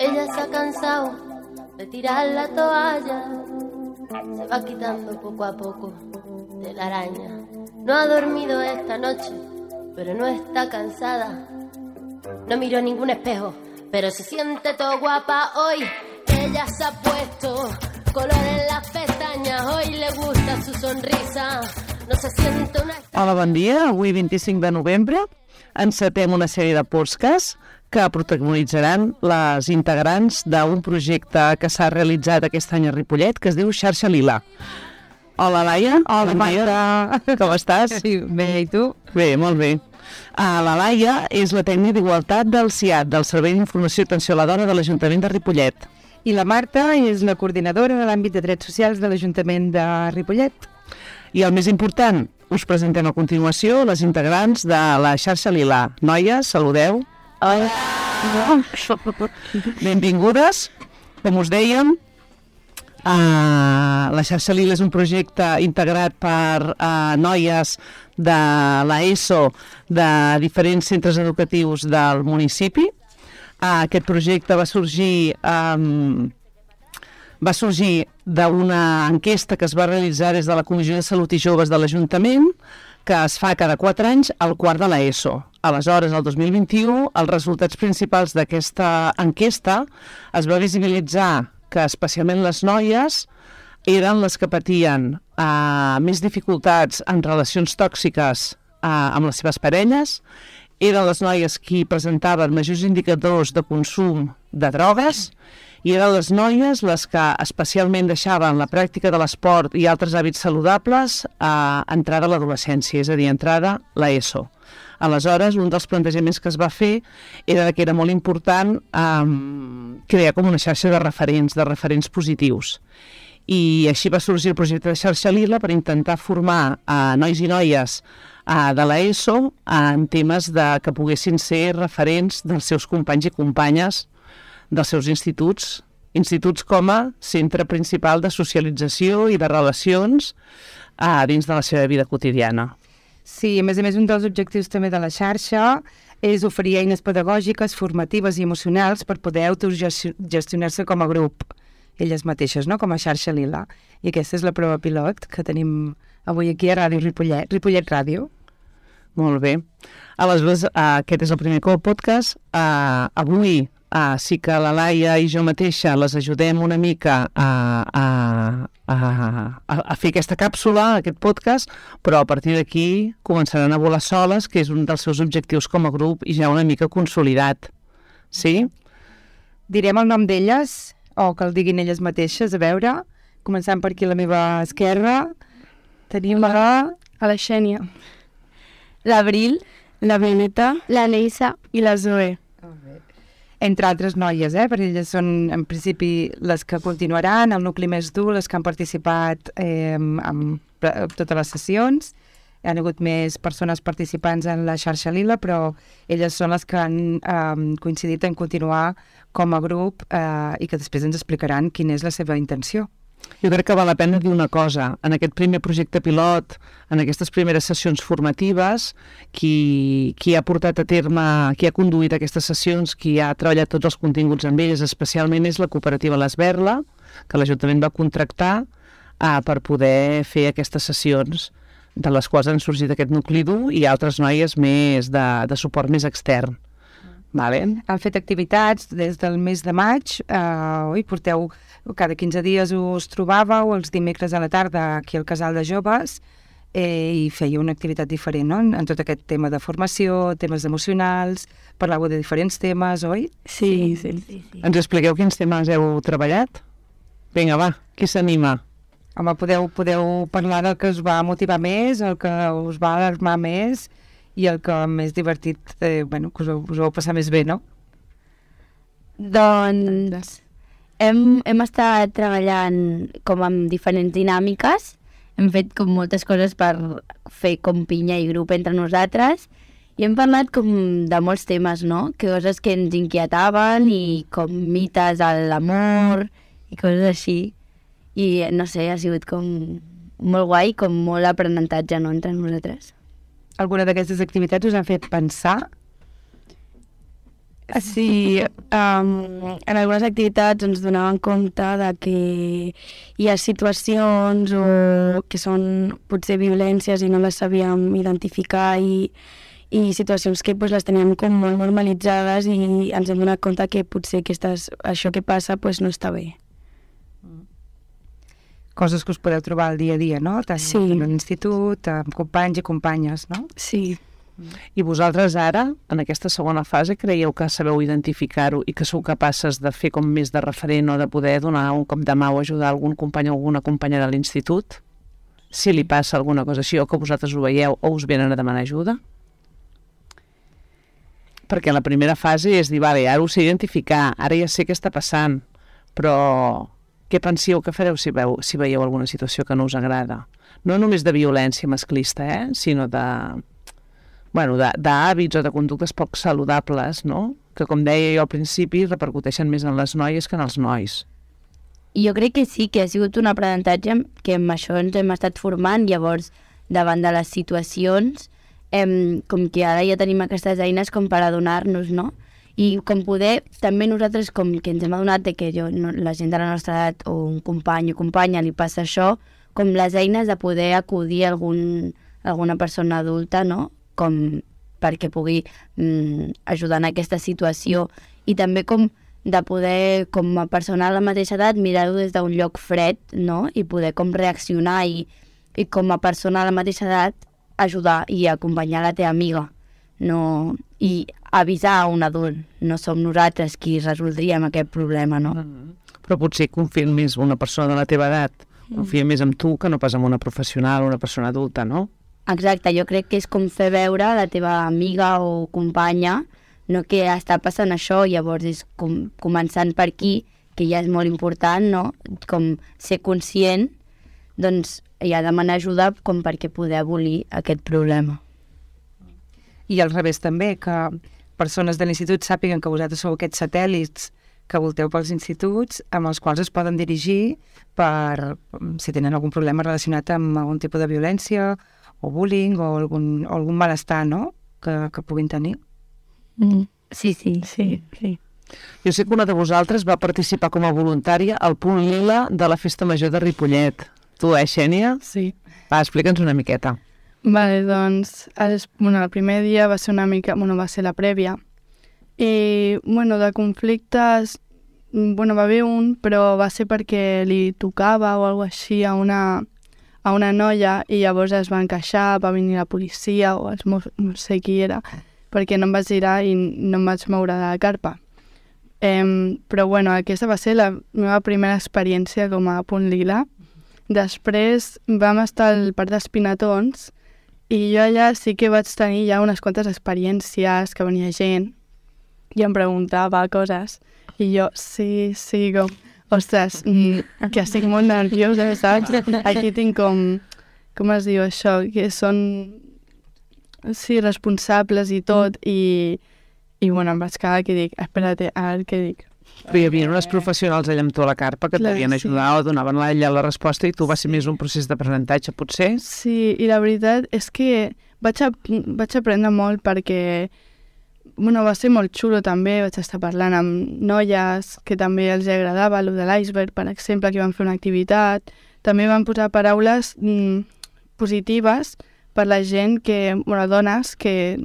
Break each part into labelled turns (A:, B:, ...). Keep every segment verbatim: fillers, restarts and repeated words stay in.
A: Ella se ha cansado de tirar la toalla, se va quitando poco a poco de la araña. No ha dormido esta noche, pero no está cansada. No miró ningún espejo, pero se siente todo guapa hoy. Ella se ha puesto color en las pestañas, hoy le gusta su sonrisa. No se siente una...
B: Hola, bon dia. Avui, vint-i-cinc de novembre, encetem una sèrie de podcasts que protagonitzaran les integrants d'un projecte que s'ha realitzat aquest any a Ripollet, que es diu Xarxa Lila. Hola, Laia.
C: Hola, Marta.
B: Com estàs?
C: Sí, bé, i tu?
B: Bé, molt bé. Uh, la Laia és la tècnica d'Igualtat del C I A D, del Servei d'Informació i Atenció a la Dona de l'Ajuntament de Ripollet.
C: I la Marta és la coordinadora de l'àmbit de drets socials de l'Ajuntament de Ripollet.
B: I el més important, us presentem a continuació les integrants de la Xarxa Lila. Noies, saludeu.
C: Hola.
B: Benvingudes. Com us dèiem, uh, la Xarxa Lila és un projecte integrat per uh, noies de l'ESO de diferents centres educatius del municipi. Uh, aquest projecte va sorgir... Um, va sorgir d'una enquesta que es va realitzar des de la Comissió de Salut i Joves de l'Ajuntament, que es fa cada quatre anys al quart de l'ESO. Aleshores, el dos mil vint-i-u, els resultats principals d'aquesta enquesta es va visibilitzar que especialment les noies eren les que patien eh, més dificultats en relacions tòxiques eh, amb les seves parelles, eren les noies qui presentaven majors indicadors de consum de drogues, i eren les noies les que especialment deixaven la pràctica de l'esport i altres hàbits saludables a entrada a l'adolescència, és a dir, entrada a l'ESO. Aleshores, un dels plantejaments que es va fer era que era molt important um, crear com una xarxa de referents, de referents positius. I així va sorgir el projecte de Xarxa Lila per intentar formar uh, nois i noies uh, de l'ESO en temes de, que poguessin ser referents dels seus companys i companyes dels seus instituts, instituts com a centre principal de socialització i de relacions eh, dins de la seva vida quotidiana.
C: Sí, a més a més, un dels objectius també de la xarxa és oferir eines pedagògiques, formatives i emocionals per poder autogestionar-se com a grup, elles mateixes, no? Com a Xarxa Lila. I aquesta és la prova pilot que tenim avui aquí a Ràdio Ripollet, Ripollet Ràdio.
B: Molt bé. Aleshores, eh, aquest és el primer podcast. Eh, avui Ah, sí que la Laia i jo mateixa les ajudem una mica a, a, a, a fer aquesta càpsula, aquest podcast, però a partir d'aquí començaran a volar soles, que és un dels seus objectius com a grup i ja una mica consolidat. Sí?
C: Direm el nom d'elles, o que el diguin elles mateixes, a veure. Començant per aquí a la meva esquerra. Tenim la...
D: A la Xènia. L'Abril, la Beneta, la Neissa i la Zoe.
C: Entre altres noies, eh? Perquè elles són, en principi, les que continuaran, el nucli més dur, les que han participat eh, en, en totes les sessions. Hi ha hagut més persones participants en la Xarxa Lila, però elles són les que han eh, coincidit en continuar com a grup eh, i que després ens explicaran quina és la seva intenció.
B: Jo crec que val la pena dir una cosa. En aquest primer projecte pilot, en aquestes primeres sessions formatives, qui, qui ha portat a terme, qui ha conduït aquestes sessions, qui ha treballat tots els continguts amb elles, especialment és la cooperativa l'Esberla, que l'Ajuntament va contractar eh, per poder fer aquestes sessions, de les quals han sorgit aquest nucli dur i altres noies més de, de suport més extern. Vale.
C: Han fet activitats des del mes de maig, eh, oi, porteu, cada quinze dies us trobàveu els dimecres a la tarda aquí al Casal de Joves eh, i fèieu una activitat diferent, no?, en tot aquest tema de formació, temes emocionals, parlàveu de diferents temes, oi?
D: Sí, sí, sí. sí.
B: Ens expliqueu quins temes heu treballat? Vinga, va, qui s'anima?
C: Home, podeu, podeu parlar del que us va motivar més, el que us va alarmar més i el que més divertit, eh, bueno, que us, us vau passar més bé, no?
D: Doncs hem, hem estat treballant com amb diferents dinàmiques, hem fet com moltes coses per fer com pinya i grup entre nosaltres i hem parlat com de molts temes, no? Que coses que ens inquietaven i com mites a l'amor i coses així. I no sé, ha sigut com molt guai, com molt aprenentatge, no?, entre nosaltres.
C: Alguna d'aquestes activitats us han fet pensar
E: Sí, um, en algunes activitats ens donaven compte de que hi ha situacions o que són potser violències i no les sabíem identificar i, i situacions que pues, les teníem com molt normalitzades i ens hem donat compte que potser aquestes, això que passa pues, no està bé.
C: Coses que us podeu trobar al dia a dia, no? Tant
E: Sí.
C: en l'institut, amb companys i companyes, no?
E: Sí.
B: I vosaltres ara, en aquesta segona fase, creieu que sabeu identificar-ho i que sou capaces de fer com més de referent o de poder donar un cop de mà o ajudar algun company o alguna companya de l'institut? Si li passa alguna cosa així o que vosaltres ho veieu o us venen a demanar ajuda? Perquè la primera fase és dir, vale, ara ho sé identificar, ara ja sé què està passant, però què penseu que fareu si, veu, si veieu alguna situació que no us agrada? No només de violència masclista, eh? Sinó de... bueno, d'hàbits o de conductes poc saludables, no? Que, com deia jo al principi, repercuteixen més en les noies que en els nois.
D: I jo crec que sí, que ha sigut un aprenentatge que amb això ens hem estat formant, llavors, davant de les situacions, em, com que ara ja tenim aquestes eines com per adonar-nos, no? I com poder, també nosaltres, com que ens hem adonat de que jo, no, la gent de la nostra edat o un company o companya li passa això, com les eines de poder acudir a algun, alguna persona adulta, no?, com perquè pugui mm, ajudar en aquesta situació i també com de poder, com a persona de la mateixa edat, mirar-ho des d'un lloc fred, no?, i poder com reaccionar i, i com a persona de la mateixa edat ajudar i acompanyar la teva amiga, no? I avisar a un adult, no som nosaltres qui resoldríem aquest problema, no?
B: Mm. Però potser confia més una persona de la teva edat, confia més en tu que no pas en una professional o una persona adulta, no?
D: Exacte, jo crec que és com fer veure a la teva amiga o companya, no, que està passant això, llavors és com, començant per aquí, que ja és molt important, no? Com ser conscient, doncs ja demanar ajuda com perquè poder abolir aquest problema.
C: I al revés també, que persones de l'institut sàpiguen que vosaltres sou aquests satèl·lits que volteu pels instituts amb els quals es poden dirigir per si tenen algun problema relacionat amb algun tipus de violència o bullying o algun, o algun malestar, no?, que, que puguin tenir.
D: Mm. Sí, sí.
E: Sí, sí.
B: Jo sé que una de vosaltres va participar com a voluntària al Punt Lila de la Festa Major de Ripollet. Tu, eh, Xènia?
E: Sí.
B: Va, explica'ns una miqueta.
E: Vale, doncs, el, bueno, el primer dia va ser una mica, bueno, va ser la prèvia. I, bueno, de conflictes, bueno, va haver un, però va ser perquè li tocava o alguna així a una, a una noia i llavors es van queixar, va venir la policia o els mos, no sé qui era, perquè no em vaig girar i no em vaig moure de la carpa. Eh, però, bueno, aquesta va ser la meva primera experiència com a Punt Lila. Després vam estar al Parc dels Pinatons i jo allà sí que vaig tenir ja unes quantes experiències, que venia gent i em preguntava coses i jo, sí, sí, com, ostres, mm, que estic molt nerviosa, saps? Aquí tinc com, com es diu això, que són, sí, responsables i tot, i, i bueno, em vaig quedar que dic, espera't, a veure què dic.
B: Però hi havia unes professionals allà amb tu a la carpa que et
E: Clar,
B: devien
E: sí.
B: ajudar o donaven a ella la resposta i tu va ser més un procés d'aprenentatge, potser?
E: Sí, i la veritat és que vaig, a, vaig aprendre molt perquè bueno, va ser molt xulo també, vaig estar parlant amb noies que també els agradava, el de l'iceberg, per exemple, que van fer una activitat. També van posar paraules mm, positives per la gent que, bueno, dones que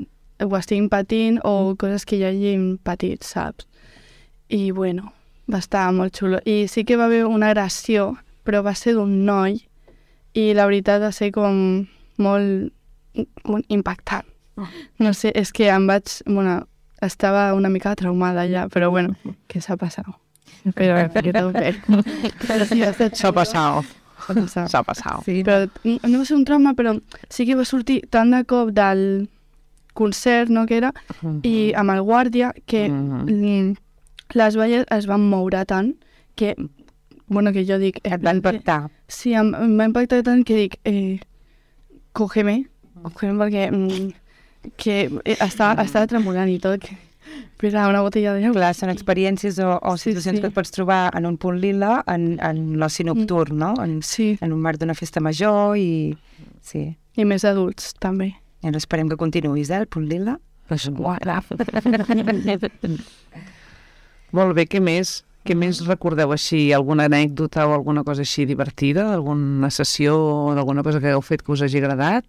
E: ho estiguin patint o coses que ja hagin patit, saps? I, bueno, va estar molt xulo. I sí que va haver una agressió, però va ser d'un noi i la veritat va ser com molt, molt impactant. No sé, és que em vaig... Bueno, estava una mica traumada ja, però bueno, què s'ha passat? Però que tot bé. Però sí, va ser
B: S'ha
E: xulo.
B: passat.
E: S'ha passat.
B: S'ha passat.
E: Sí. Però no va ser un trauma, però sí que va sortir tant de cop del concert, no, que era, i amb el guàrdia, que mm, les valles es van moure tant que, bueno, que jo dic...
C: Et va impactar.
E: Sí, em, em va impactar tant que dic, eh, cógeme, cógeme perquè... Mm, que estava, estava tremolant i tot, que era una botella d'aigua.
C: Clar, són experiències o, o
E: Sí,
C: situacions
E: sí.
C: que et pots trobar en un punt lila, en, en l'oci nocturn, no? En,
E: Sí,
C: en un marc d'una festa major i... Sí.
E: i més adults, també.
C: I ara esperem que continuïs, eh, el punt lila.
B: Molt bé, què més? Què més recordeu així? Alguna anècdota o alguna cosa així divertida? Alguna sessió o alguna cosa que heu fet que us hagi agradat?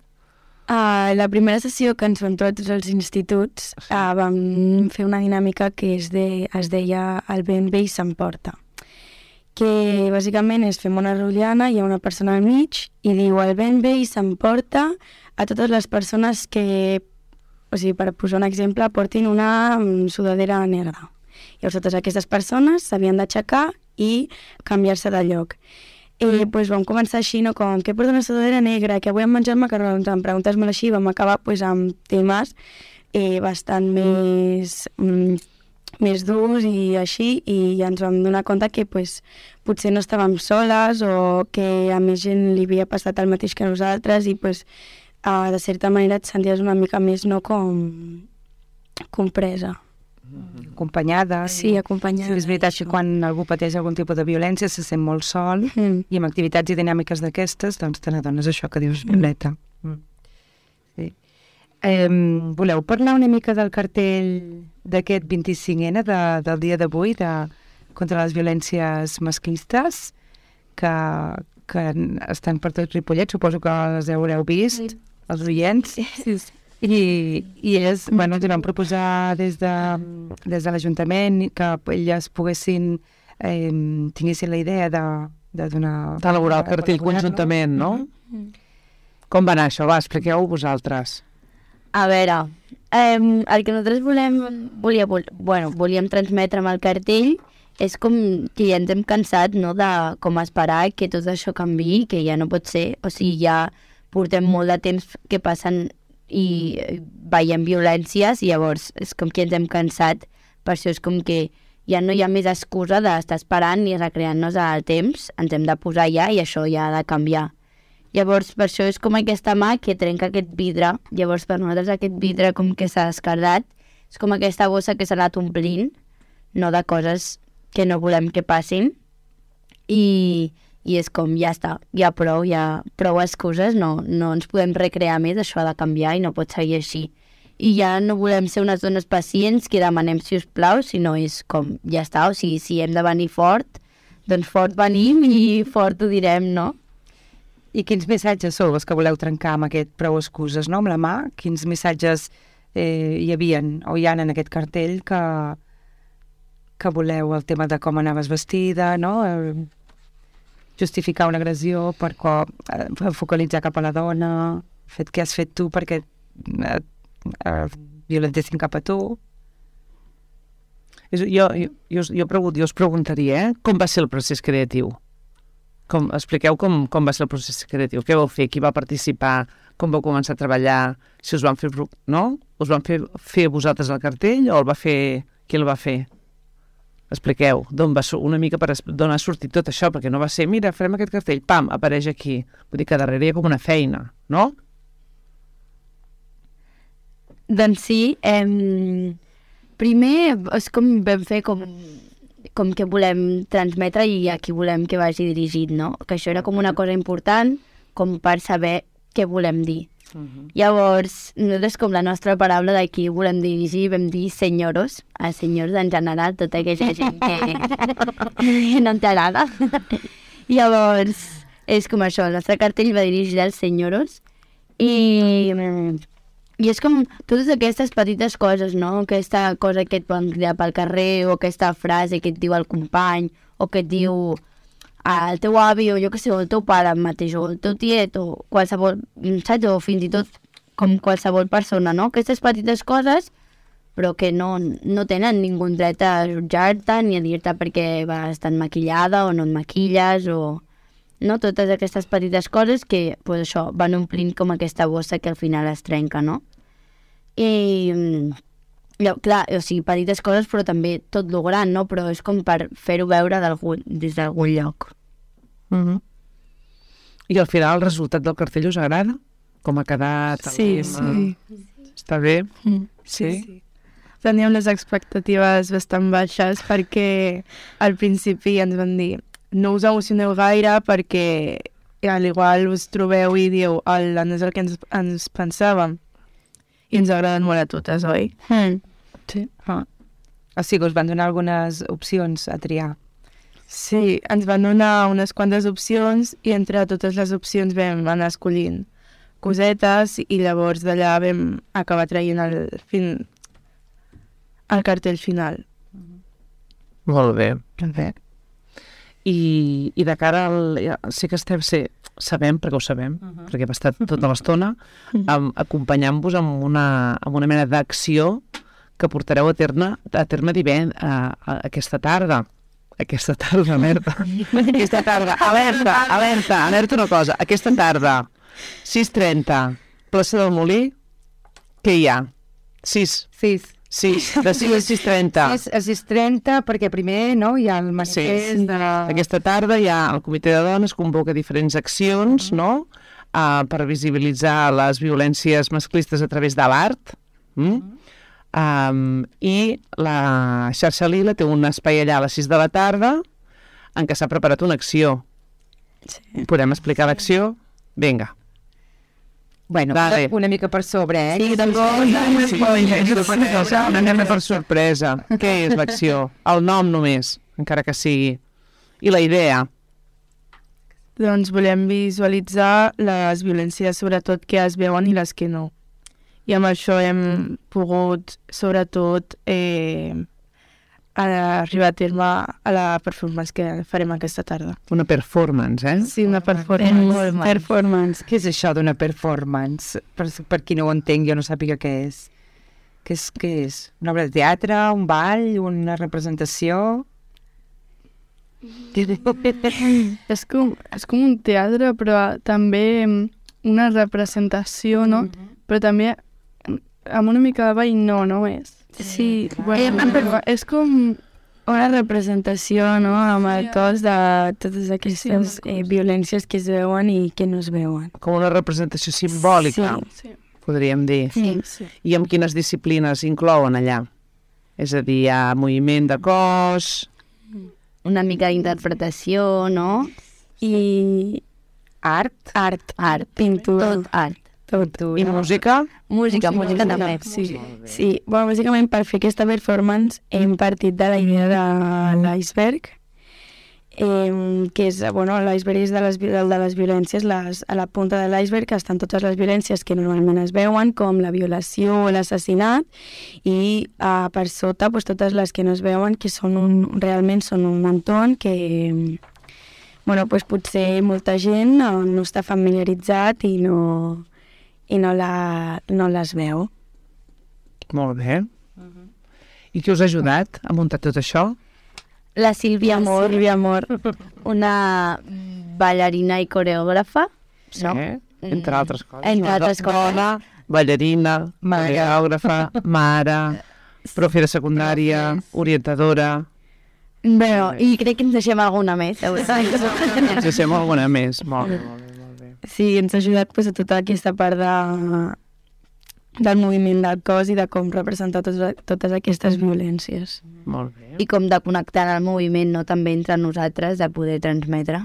F: Uh, la primera sessió que ens vam trobar tots els instituts uh, vam fer una dinàmica que es, de, es deia El ben bé s'emporta, que bàsicament és fem una rotllana, hi ha una persona al mig i diu el ben bé s'emporta a totes les persones que, o sigui, per posar un exemple, portin una sudadera negra. Llavors totes aquestes persones s'havien d'aixecar i canviar-se de lloc. I pues, vam començar així, no? Com, què porta una sudadera negra, que avui hem menjat macarrons, amb preguntes molt així, vam acabar pues, amb temes eh, bastant més, mm, més durs i així, i ja ens vam donar compte que pues, potser no estàvem soles o que a més gent li havia passat el mateix que a nosaltres i pues, eh, de certa manera et senties una mica més no, com compresa.
C: Acompanyada.
F: Sí, acompanyada.
C: Sí, és veritat que quan algú pateix algun tipus de violència se sent molt sol mm. i amb activitats i dinàmiques d'aquestes doncs te n'adones això que dius, Violeta. Mm. Sí. Eh, voleu parlar una mica del cartell d'aquest vint-i-cinc ena de, del dia d'avui de, contra les violències masclistes que, que estan per tot Ripollet, suposo que les haureu vist, sí. Els oients. Sí, sí. I, i és, bueno, ens vam proposar des de, des de l'Ajuntament que elles poguessin, eh, tinguessin la idea de, de donar...
B: D'elaborar el cartell conjuntament, no? Mm-hmm. Com va anar això? Va, expliqueu-ho vosaltres.
D: A veure, eh, el que nosaltres volem, volia, vol, bueno, volíem transmetre amb el cartell és com que ja ens hem cansat, no?, de com esperar que tot això canviï, que ja no pot ser. O sigui, ja portem molt de temps que passen i veiem violències i llavors és com que ens hem cansat, per això és com que ja no hi ha més excusa d'estar esperant ni recreant-nos al temps, ens hem de posar ja i això ja ha de canviar. Llavors per això és com aquesta mà que trenca aquest vidre, llavors per nosaltres aquest vidre com que s'ha descardat, és com aquesta bossa que s'ha anat omplint, no de coses que no volem que passin i... i és com, ja està, ja prou, ja prou excuses, no, no ens podem recrear més, això ha de canviar i no pot seguir així. I ja no volem ser unes dones pacients que demanem si us plau, sinó és com, ja està, o sigui, si hem de venir fort, doncs fort venim i fort ho direm, no?
C: I quins missatges sou els que voleu trencar amb aquest prou excuses, no?, amb la mà? Quins missatges eh, hi havien o hi ha en aquest cartell que, que voleu, el tema de com anaves vestida, no?, el... justificar una agressió per cop, eh, focalitzar cap a la dona, fet què has fet tu perquè eh, eh, violentessin cap a tu.
B: Jo, jo, jo, jo, pregun, jo us preguntaria, eh? Com va ser el procés creatiu? Com, expliqueu com, com va ser el procés creatiu. Què vau fer? Qui va participar? Com vau començar a treballar? Si us van fer... No? Us van fer, fer vosaltres el cartell o el va fer... Qui el va fer? Expliqueu, d'on va una mica per d'on ha sortit tot això, perquè no va ser, mira, farem aquest cartell, pam, apareix aquí. Vull dir que darrere hi ha com una feina, no?
D: Doncs sí, eh, primer és com vam fer com, com que volem transmetre i a qui volem que vagi dirigit, no? Que això era com una cosa important, com per saber què volem dir. Uh-huh. Llavors, nosaltres com la nostra paraula d'aquí volem dirigir, vam dir senyoros, a senyors en general, tota aquella gent que no ens agrada. Llavors, és com això, el nostre cartell va dirigir als senyoros i, i és com totes aquestes petites coses, no? Aquesta cosa que et poden cridar pel carrer o aquesta frase que et diu el company o que et diu el teu avi o jo que sé, o el teu pare mateix o el teu tiet o qualsevol, saps? O fins i tot com qualsevol persona, no? Aquestes petites coses però que no, no tenen ningú dret a jutjar-te ni a dir-te perquè vas estar maquillada o no et maquilles o... No? Totes aquestes petites coses que, pues això, van omplint com aquesta bossa que al final es trenca, no? I... Clar, o sigui, petites coses, però també tot lo gran, no? Però és com per fer-ho veure des d'algun lloc.
B: Uh-huh. I al final el resultat del cartell us agrada? Com ha quedat?
E: Sí, sí.
B: Està bé?
E: Mm. Sí, sí. Teníem les expectatives bastant baixes perquè al principi ens van dir no us emocioneu gaire perquè al igual us trobeu i dieu no és el que ens, ens pensàvem. i ens agraden molt a totes, oi?
F: Mm.
E: Sí.
C: Ah. O sigui, us van donar algunes opcions a triar.
E: Sí, ens van donar unes quantes opcions i entre totes les opcions vam anar escollint cosetes i llavors d'allà vam acabar traient el, fin... el cartell final.
B: Molt bé.
C: Bé.
B: I, i de cara al... ja, sí que estem... Sí, sabem, perquè ho sabem, uh -huh. perquè hem estat tota l'estona um, acompanyant-vos amb una, amb una mena d'acció que portareu a terme, a terme divent, a, a, aquesta tarda. Aquesta tarda, alerta. Aquesta tarda, alerta, alerta, alerta una cosa. Aquesta tarda, sis trenta, plaça del Molí, què hi ha? sis.
C: sis.
B: sis, de sis a sis trenta.
C: sis a sis trenta, perquè primer no, hi ha el manifest
B: Sí.
C: de...
B: Aquesta tarda hi ha el Comitè de Dones, convoca diferents accions, no?, uh, per visibilitzar les violències masclistes a través de l'art. Mm? Um, I la xarxa Lila té un espai allà a les sis de la tarda en què s'ha preparat una acció.
F: Sí.
B: Podem explicar l'acció? Vinga.
C: Bueno,
B: Dale.
C: una mica per sobre, eh?
F: Sí, tampoc.
B: Anem per sorpresa. Què és l'acció? El nom només, encara que sigui. I la idea?
E: Doncs volem visualitzar les violències, sobretot que es veuen i les que no. I amb això hem pogut, sobretot, eh, arribar a terme a la performance que farem aquesta tarda.
B: Una performance, eh?
E: Sí, una performance.
F: Performance.
C: Què és això d'una performance? Per, per qui no ho entenc, jo no sàpiga què és. Què és, què és? Una obra de teatre, un ball, una representació?
E: És com, és com un teatre, però també una representació, no? Però també amb una mica de ball no, no és?
F: Sí,
E: Bueno,
F: eh,
E: és com...
F: una representació, no?, amb el cos de totes aquestes
E: Sí,
F: eh, violències que es veuen i que no es veuen.
B: Com una representació simbòlica,
F: Sí.
E: Sí.
B: podríem dir.
F: Sí.
E: Sí.
B: I amb quines disciplines inclouen allà? És a dir, hi ha moviment de cos...
D: Una mica d'interpretació, no?
F: I
C: Art?
F: art,
D: Art.
F: pintura,
D: Tot art.
F: tot.
B: I música?
D: Música, música també.
F: Sí, sí. Bueno, bàsicament per fer aquesta performance hem partit de la idea de l'iceberg, eh, que és, bueno, l'iceberg és de les, vi- de les violències, les, a la punta de l'iceberg estan totes les violències que normalment es veuen, com la violació o l'assassinat, i uh, per sota pues, totes les que no es veuen, que són un, realment són un entorn que, bueno, pues, potser molta gent no, no està familiaritzat i no, i no, la, no les veu.
B: Molt bé. I qui us ha ajudat a muntar tot això?
D: La Sílvia Amor,
F: Sílvia Amor.
D: una ballarina i coreògrafa, no?
B: Entre altres coses.
D: Entre altres coses.
B: Dona, ballarina,
C: Mare.
B: coreògrafa, mare, profe de secundària, orientadora...
F: Bueno,
D: I crec que ens deixem alguna més, segur.
B: Ens deixem alguna més. Molt bé, molt bé, molt bé.
F: sí, ens ha ajudat pues, a tota aquesta part de, del moviment del cos i de com representar totes, totes aquestes violències.
B: Molt bé.
D: I com de connectar el moviment, no?, també entre nosaltres, de poder transmetre.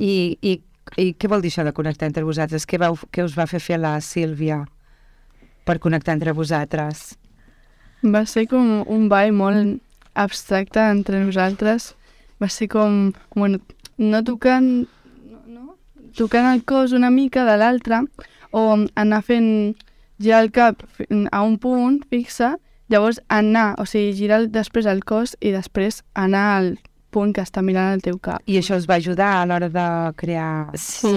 C: I, i, I què vol dir això de connectar entre vosaltres? Què, vau, què us va fer fer la Sílvia per connectar entre vosaltres?
E: Va ser com un ball molt abstracte entre nosaltres. Va ser com, bueno, no tocant, no, no? tocant el cos una mica de l'altre, o anar fent girar el cap fi- a un punt fixe, llavors anar, o sigui, girar el- després el cos i després anar al punt que està mirant el teu cap.
C: I això us va ajudar a l'hora de crear...
F: Sí,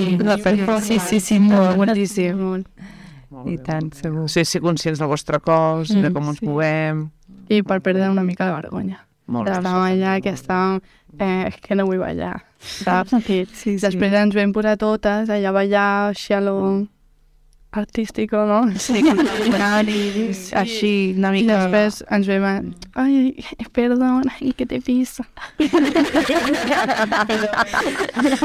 F: sí, sí, sí, molt, moltíssim.
E: Molt.
B: Molt
C: I
B: bé,
C: tant,
B: molt bé.
C: segur.
B: Ser, ser conscients del vostre cos, de com ens
E: sí.
B: movem...
E: I per perdre una mica de vergonya.
B: Molt bé.
E: Estàvem allà que estàvem... Eh, és que no vull ballar, saps? Sí, sí. Després ens vam posar totes allà a ballar així a lo artístico, no? Sí,
C: Així, una
E: I
C: mica...
E: després ens vam... a- Ai, perdona, i que te pisa.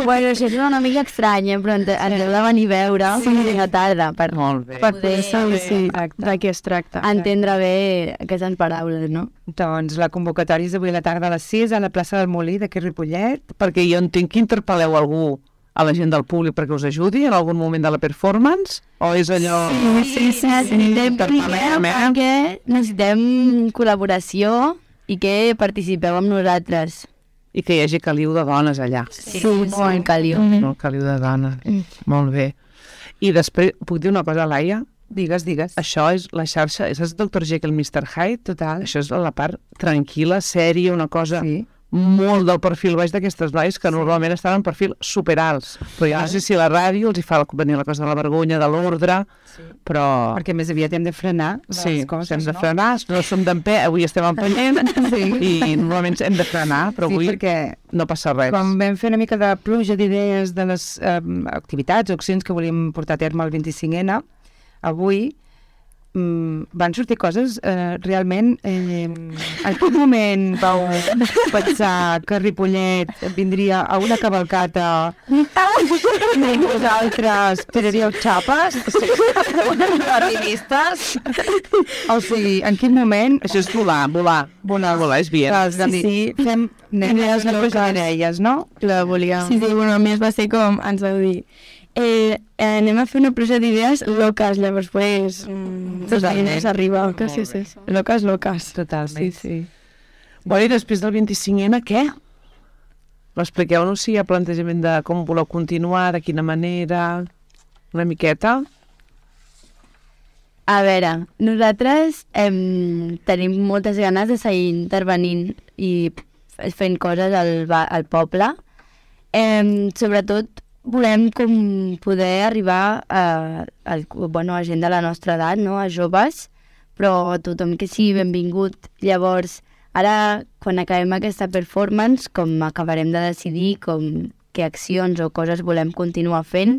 D: Bueno, això és una mica estrany, eh? Però ens, ens heu de venir a veure sí. a tarda per
B: Molt bé.
E: Per
D: poder
E: poder saber sí,
C: Exacte.
E: de què es tracta.
D: entendre bé aquestes paraules, no?
C: Doncs la convocatòria és avui a la tarda a les sis a la plaça del Molí d'aquí Ripollet.
B: Perquè jo entenc que interpel·leu algú a la gent del públic perquè us ajudi en algun moment de la performance? O és allò...
D: Sí, sí, sí, necessitem primer perquè necessitem col·laboració i que participeu amb nosaltres.
B: I que hi hagi caliu de dones allà.
D: Sí, molt caliu.
B: No, caliu de dones. Molt bé. I després, puc dir una cosa, Laia?
C: Digues, digues.
B: Això és la xarxa, és el doctor Jekyll, mister Hyde, total. Això és la part tranquil·la, sèria, una cosa
C: Sí.
B: molt del perfil baix d'aquestes noies que normalment estan en perfil superalts. Però jo no sé si la ràdio els hi fa venir la cosa de la vergonya, de l'ordre, però...
C: Perquè més aviat hem de frenar les
B: Sí,
C: coses,
B: hem de
C: no?
B: frenar, no som d'en peu, avui estem empenyent i normalment hem de frenar, però
C: Sí,
B: avui
C: perquè
B: no passa res.
C: quan vam fer una mica de pluja d'idees de les eh, activitats o accions que volíem portar a terme el vint-i-cinc ena, avui mm, van sortir coses eh, realment... Eh, en quin moment vau pensar que Ripollet vindria a una cavalcata i vosaltres tiraríeu xapes? Arribistes? O sigui, en quin moment...
B: Això és volar, volar. Volar, volar és bien.
C: Sí, sí, fem nenes locals, no?
E: La volia...
F: Sí, sí, bueno, a més va ser com, ens vau dir, eh, eh, anem a fer una pluja d'idees locas, llavors, pues, mm,
C: Totalment.
F: s'arriba.
E: Sí, sí, sí.
F: Locas, locas.
C: Totalment.
E: Sí, sí.
B: Bueno, i després del vint-i-cinc ena, què? Expliqueu-nos si hi ha plantejament de com voleu continuar, de quina manera, una miqueta.
D: A veure, nosaltres em, tenim moltes ganes de seguir intervenint i f- fent coses al, ba- al poble. Em, sobretot volem com poder arribar a, a, bueno, a gent de la nostra edat, no? A joves, però tothom que sigui benvingut. Llavors, ara, quan acabem aquesta performance, com acabarem de decidir com què accions o coses volem continuar fent,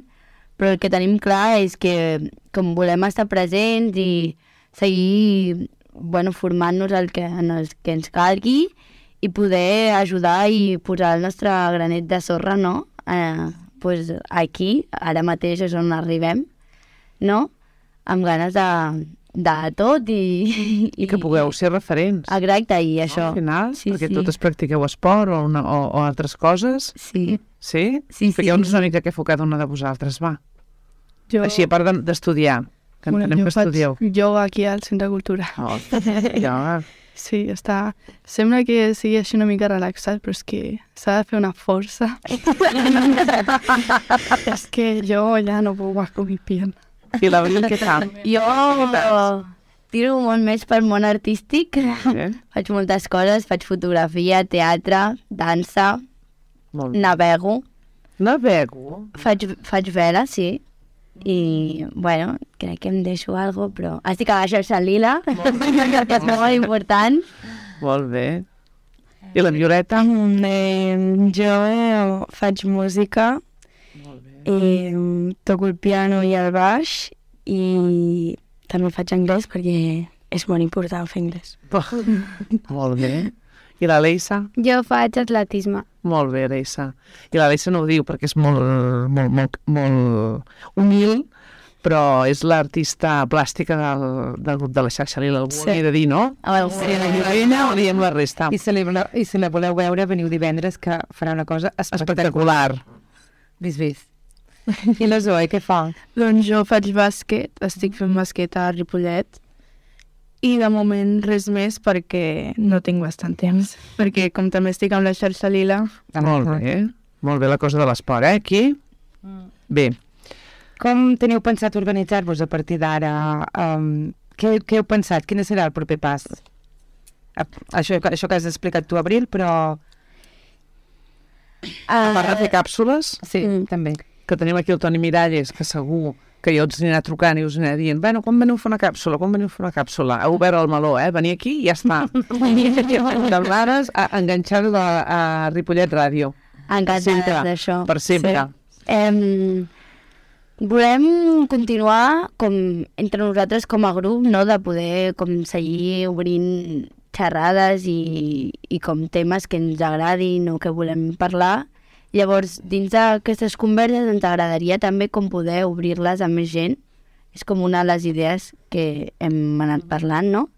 D: però el que tenim clar és que com volem estar presents i seguir bueno, formant-nos el que, en el que ens calgui i poder ajudar i posar el nostre granet de sorra, no? Eh, pues aquí, ara mateix és on arribem, no? Amb ganes de, de tot i...
B: I que pugueu ser referents.
D: Exacte, i això.
B: Al final,
D: Sí,
B: perquè
D: sí.
B: totes practiqueu esport o, una, o, o altres coses.
D: Sí.
B: Sí?
D: Sí, sí.
B: Expliqueu-nos una mica què feu cada una de vosaltres, va.
E: Jo,
B: Així, a part de- d'estudiar, que
E: bueno,
B: entenem
E: jo
B: que
E: faig
B: estudieu.
E: yoga aquí al Centre de Cultura.
B: Oh, ja,
E: Sí, està... Sembla que sigui així una mica relaxat, però és que s'ha de fer una força. És que jo ja no puc más con mi pierna.
B: I l'Abril, què tal?
D: Jo tiro molt més pel món artístic.
B: Eh?
D: Faig moltes coses, faig fotografia, teatre, dansa,
B: Molt bé.
D: navego,
B: Navego.
D: faig, faig vela, sí. I, bueno, crec que em deixo alguna cosa, però estic a la xarxa lila, que és molt important.
B: Molt bé. I la Violeta?
F: Mm, eh, jo eh, faig música, eh, toco el piano i el baix i també faig anglès perquè és molt important fer anglès.
B: Molt bé. I la Leisa?
G: Jo faig atletisme.
B: Molt bé, Leisa. I la Leisa no ho diu perquè és molt, molt, molt, molt humil, però és l'artista plàstica del, del grup de la xarxa Lila. Algú
C: Sí.
B: sí. he de dir, no?
D: A veure,
B: Sí, la Violeta o diem la resta?
C: I si, la, voleu- I si la voleu veure, veniu divendres, que farà una cosa espectacular.
B: Espectacular.
C: Vist, vist. I la Zoe, què fa?
E: Doncs jo faig bàsquet, estic fent bàsquet a Ripollet i de moment res més perquè no tinc bastant temps. Perquè com també estic amb la xarxa lila,
B: Molt bé. Molt bé la cosa de l'esport, eh, aquí? Bé.
C: Com teniu pensat organitzar-vos a partir d'ara? Um, què, què heu pensat? Quin serà el proper pas? A- Això, això que has explicat tu, Abril, però...
B: A part de fer càpsules,
C: Sí,
D: Mm.
C: també.
B: que tenim aquí el Toni Miralles, que segur que jo us anirà trucant i us anirà dient, bueno, quan veniu a fer una càpsula, quan veniu a fer una càpsula? Ha obert el meló, eh? Venir aquí i ja està. De vegades, a enganxar-la a Ripollet Ràdio.
D: Encantades
B: Sempre.
D: d'això.
B: Per sempre.
D: Em, volem continuar com entre nosaltres com a grup, no? De poder com seguir obrint xerrades i, i com temes que ens agradin o que volem parlar. Llavors, dins d'aquestes converses ens agradaria també com poder obrir-les a més gent. És com una de les idees que hem anat parlant, no?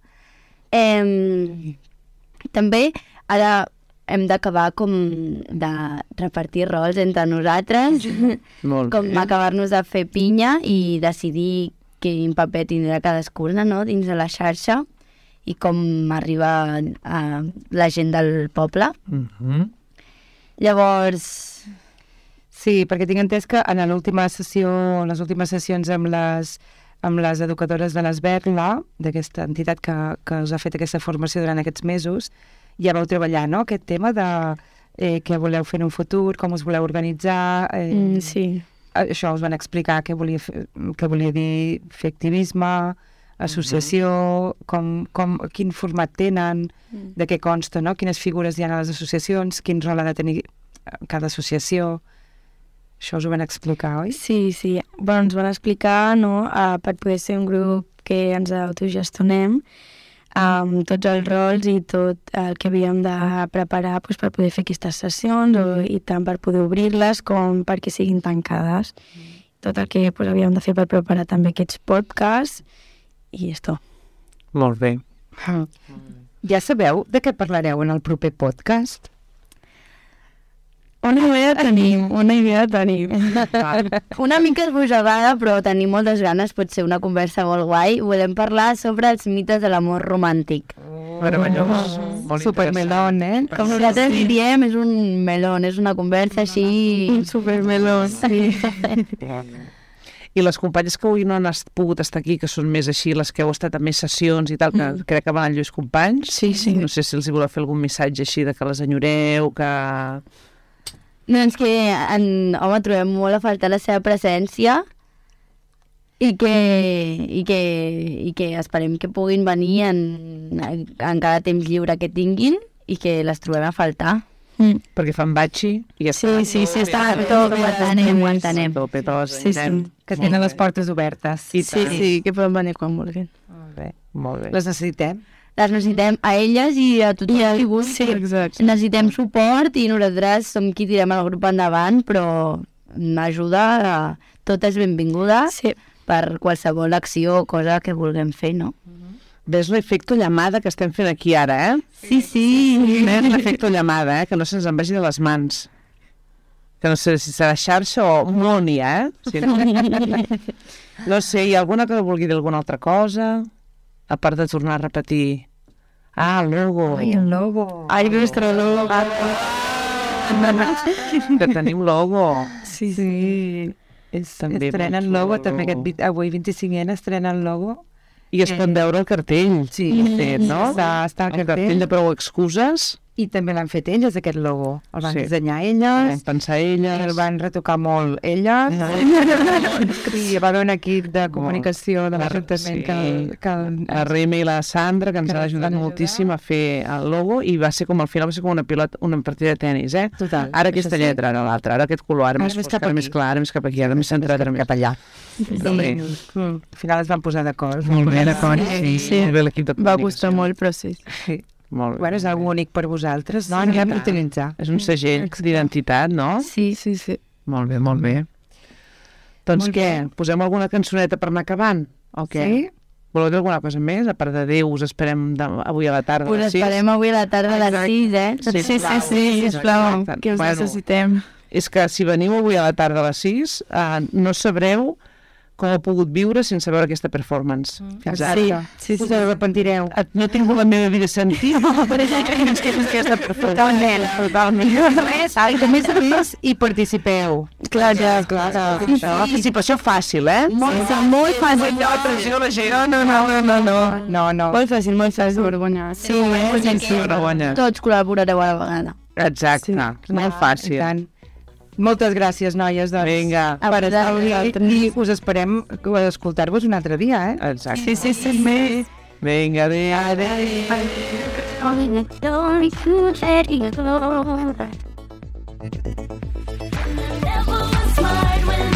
D: Em, també, ara, hem d'acabar com de repartir rols entre nosaltres,
B: Molt
D: com
B: bé.
D: acabar-nos de fer pinya i decidir quin paper tindrà cadascuna, no?, dins de la xarxa i com arriba a la gent del poble.
B: Mhm.
D: Llavors,
C: Sí, perquè tinc entès que en l'última sessió, en les últimes sessions amb les, amb les educadores de l'Esberla, d'aquesta entitat que, que us ha fet aquesta formació durant aquests mesos, ja vau treballar, no?, aquest tema de eh, què voleu fer en un futur, com us voleu organitzar... Eh,
F: Mm, sí.
C: Això us van explicar què volia, fer, què volia dir fer activisme, associació, com, com, quin format tenen, de què consta, no?, quines figures hi ha a les associacions, quin rol ha de tenir cada associació. Això us ho van explicar, oi?
F: Sí, sí. Bueno, ens van explicar, no?, uh, per poder ser un grup que ens autogestionem, amb tots els rols i tot el que havíem de preparar pues, per poder fer aquestes sessions o, i tant per poder obrir-les com perquè siguin tancades. Tot el que pues, havíem de fer per preparar també aquests podcasts i esto.
B: Molt bé.
C: Ja sabeu de què parlareu en el proper podcast?
F: Una idea tenim, una idea tenim.
D: una mica esbojegada, però tenim moltes ganes, pot ser una conversa molt guai. Volem parlar sobre els mites de l'amor romàntic.
B: Meravellós. Molt
C: Supermelón, eh?
D: Com nosaltres diríem, és un melón, és una conversa així...
F: Un supermelón, sí.
B: I les companyes que avui no han est- pogut estar aquí, que són més així, les que heu estat en més sessions i tal, que mm. crec que van Lluís Companys.
F: Sí, sí.
B: No sé si els hi voleu fer algun missatge així de que les enyoreu, que...
D: Doncs que, en, home, trobem molt a faltar la seva presència i que, i que, i que esperem que puguin venir en, en cada temps lliure que tinguin i que les trobem a faltar.
F: Mm.
B: perquè fan batxi i ja
F: Sí,
B: està.
F: sí, sí, està
D: Tot ho entenem, ho entenem.
B: Tope, tots,
F: Sí, sí.
B: entenem.
C: Que tenen les portes obertes.
F: Sí, sí, que poden venir quan vulguin.
C: Molt bé.
B: Molt bé.
C: Les necessitem.
D: Les necessitem a elles i a tothom qui vulgui.
F: Sí, exacte.
D: Necessitem suport i nosaltres som qui tirem el grup endavant, però ajuda, tot és benvinguda
F: Sí.
D: per qualsevol acció o cosa que vulguem fer, no?
B: Ves l'efecte llamada que estem fent aquí ara, eh?
D: Sí, sí.
B: Ves l'efecte llamada, eh? Que no se'ns en vagi de les mans. Que no sé si serà xarxa o moni, eh? Si no... no sé, hi ha alguna que vulgui dir alguna altra cosa? A part de tornar a repetir... Ah, el logo.
C: Ai, el logo.
F: Ai, nostre logo.
B: Que tenim logo.
F: Sí, sí.
C: Sí.
B: És també
C: Estrenen
B: molt
C: logo,
B: xulo.
C: també aquest, vi- avui vint-i-cinc ena estrenen logo.
B: I es pot veure el cartell.
C: Sí,
B: fet, no?
C: Està, està
B: El cartell de prou excuses.
C: I també l'han fet elles, aquest logo. El van
B: Sí.
C: dissenyar
B: Vam
C: elles,
B: pensar elles.
C: el van retocar molt elles. I hi va haver un equip de comunicació de l'Ajuntament
B: Sí.
C: que, que
B: La Rema i la Sandra, que ens
C: Que
B: han
C: ens
B: ajudat
C: van ajudar.
B: moltíssim a fer el logo, i va ser com, al final va ser com una pilota, una partida de tennis, eh?
C: Total.
B: Ara aquesta
C: Això sí.
B: lletra, ara l'altra, ara aquest color, ara,
C: Ara
B: més
C: més
B: fosc,
C: cap
B: ara
C: aquí.
B: més clar, ara més cap aquí, ara més centrat, ara més cap allà. Però bé,
C: Mm. Al final es van posar d'acord.
B: molt bé, d'acord. Sí,
F: Sí.
B: molt bé l'equip de
F: Va
B: comunicació.
F: gustar molt, però sí.
C: Sí.
B: Molt bé.
C: Bueno, és algo únic per vosaltres, no?
B: Sí,
C: Anirem
B: clar.
C: a utilitzar.
B: És un segell d'identitat, no?
F: Sí, sí, sí.
B: Molt bé, molt bé. Doncs
C: Molt
B: què, posem alguna cançoneta per anar acabant? O què?
C: Sí?
B: Voleu dir alguna cosa més? A part de Déu, us esperem de, avui a la tarda. a
D: Us
B: les sis?
D: esperem avui a la tarda a les sis, eh?
F: Sí, sí, sí, sisplau,
B: Exacte.
F: que us
B: Bueno.
F: necessitem.
B: És que si veniu avui a la tarda a les sis, eh, no sabreu com heu pogut viure sense veure aquesta performance. Fins ara.
C: Sí,
F: sí, sí.
C: Us arrepentireu.
B: No tinc la meva vida sentit. és que és que està
C: Totalment, totalment. I que més a més hi participeu.
F: Clar, ja, clar.
B: Participació fàcil, eh?
F: Molt, molt fàcil.
B: No, no, no, no, no.
C: No, no.
F: Molt fàcil, molt fàcil. Vergonya.
D: Sí, eh?
B: Sense vergonya.
D: Tots col·laborareu a la vegada.
B: Exacte, molt
C: I
B: fàcil.
C: tant. Moltes gràcies, noies, doncs,
B: Vinga.
C: per estar avui i us esperem escoltar-vos un altre dia, eh?
B: Exacte.
F: Sí, sí, sí, més.
B: Vinga, adéu.
A: Don't you let it go. Never was smart when